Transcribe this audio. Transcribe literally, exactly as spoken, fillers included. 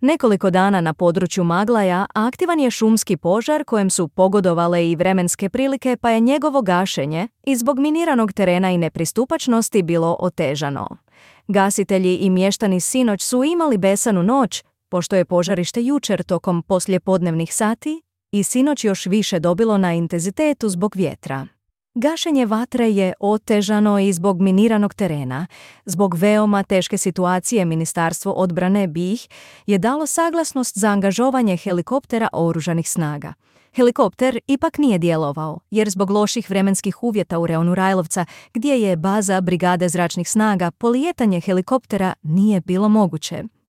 Nekoliko dana na području Maglaja aktivan je šumski požar kojem su pogodovale i vremenske prilike, pa je njegovo gašenje i zbog miniranog terena i nepristupačnosti bilo otežano. Gasitelji i mještani sinoć su imali besanu noć, pošto je požarište jučer tokom poslijepodnevnih sati i sinoć još više dobilo na intenzitetu zbog vjetra. Gašenje vatre je otežano i zbog miniranog terena. Zbog veoma teške situacije Ministarstvo odbrane B i H je dalo saglasnost za angažovanje helikoptera oružanih snaga. Helikopter ipak nije djelovao, jer zbog loših vremenskih uvjeta u reonu Rajlovca, gdje je baza Brigade zračnih snaga, polijetanje helikoptera nije bilo moguće.